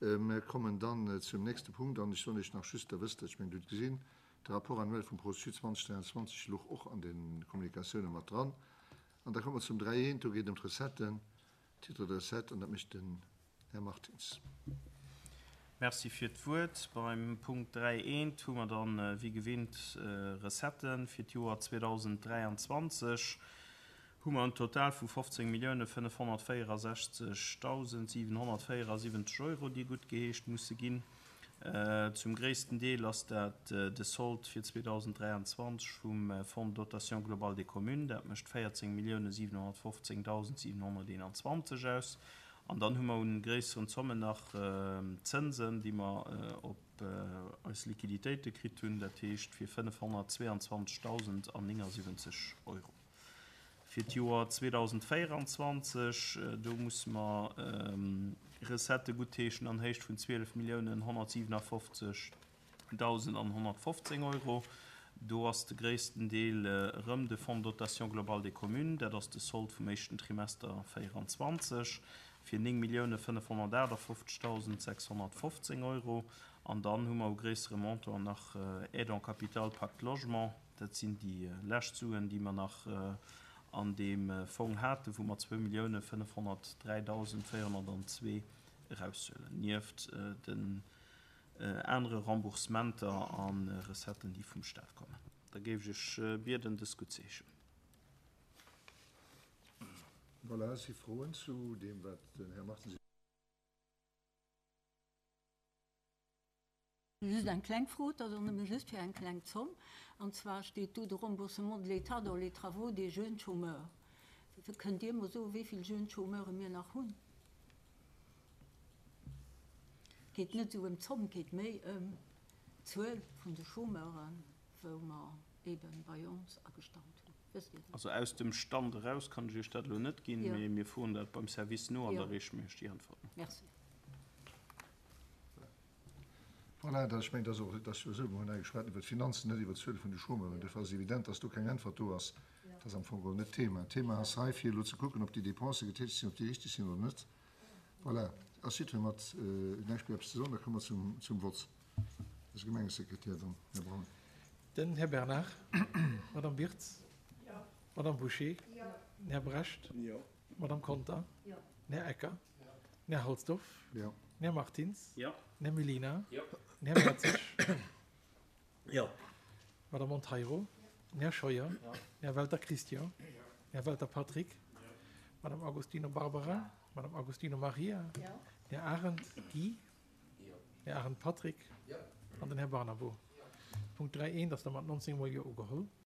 Mir kommen dann zum nächste Punkt an ech soen Iech nach just, Der wësst dat, ech mengen, Dir hutt gesinn, de Rapport annuel vum Pro-Sud 2023 louch och an de Kommunikatiounen mat dran. An da komme mer zum 3 eent, do geet et ëm d'Recetten, Titre de recette, an dat mécht den Här Martins. Merci fir d'Wuert. Beim Punkt 3 eent hu mer dann, wéi gewinnt, Recetten fir d'Joer 2023. Hu mer en Total vu 15.564.774 Euro, déi guttgeheescht musse ginn. Zum gréissten Deel ass dat de Sold fir 2023 vum Fonds de dotation globale des communes, dat mécht 14.715.721 aus. An dann hu mer un gréisseren Zommen nach Zënsen, déi mer op eis Liquiditéite kritt hunn, dat heescht fir 522.079 Euro. Fir d'Joer 2024, do musse mer Recettë guttheeschen an Héicht vun 12.157.115 Euro. Do ass de gréissten Deel erëm de Fonds de dotation globale des communes, dat ass de Sold vum éischten Trimester 2024, fir 9.558.615 Euro. An dann hu mer u gréissere Montant nach Aide en capital Pacte Logement, Dat sinn déi lescht Suen, déi mer nach an deem Fong haten, wou mer 2.503.402 eraushuelen, nieft den anere Remboursementer a Recetten, déi vum Stat kommen. Da géif ech Iech bieden, dës guttzeheeschen. Voilà, si Froen zu deem, wat den Här Martins. Just eng kleng Fro, et ass och nëmme just fir eng kleng Zomm, an zwar steet do de Remboursement de l'État dans les travaux des jeunes chômeurs. Kënnt Dir mer soen, wéi vill jeunes chômeure mir nach hunn? Et geet net esou ëm d'Zomm, et geet méi ëm d'Zuel vun de Chômeuren, wou mer eebe bei ons agestallt hunn. Wësst Dir dat? Also aus dem Stand eraus kann ech Iech dat elo net ginn, mee mir froen dat beim Service no an da reeche mir Iech déi Äntwert no. Merci. Voilà, dat, ech mengen, dat ass och, dat ass jo esou, mir hunn hei geschwat iwwert d'Finanzen, net iwwert d'Zuele vun de Chômeuren. Duerfir ass et evident, dass do keng Äntwert do ass. Dat ass am Fong geholl net d'Thema. D'Thema ass hei, fir elo ze kucken, ob déi Dépensë getätegt sinn, ob déi richteg sinn oder net. Voilà, ass jiddweree mat näischt méi eppes ze soen? Da komme mer zum, zum Vott. Eise Gemengesekretär dann, Här Braun. Den Här Bernard. D'Madame Wirtz. D'Madame Bouché. Den Här Brecht. D'Madame Conter. Den Här Ecker. Den Här Halsdorf. Den Här Martins. Den Här Mellina. Den Här Mertzig. D'Madame Monteiro. Den Här Scheuer. Den Här Welter Christian. Den Här Welter Patrick. D'Madame Agostino Barbara. D'Madame Agostino Maria. Den Här Arendt Guy. Den Här Arendt Patrick. An den Här Barnabo. Punkt 3 eent ass da mat 19 mol Jo ugeholl.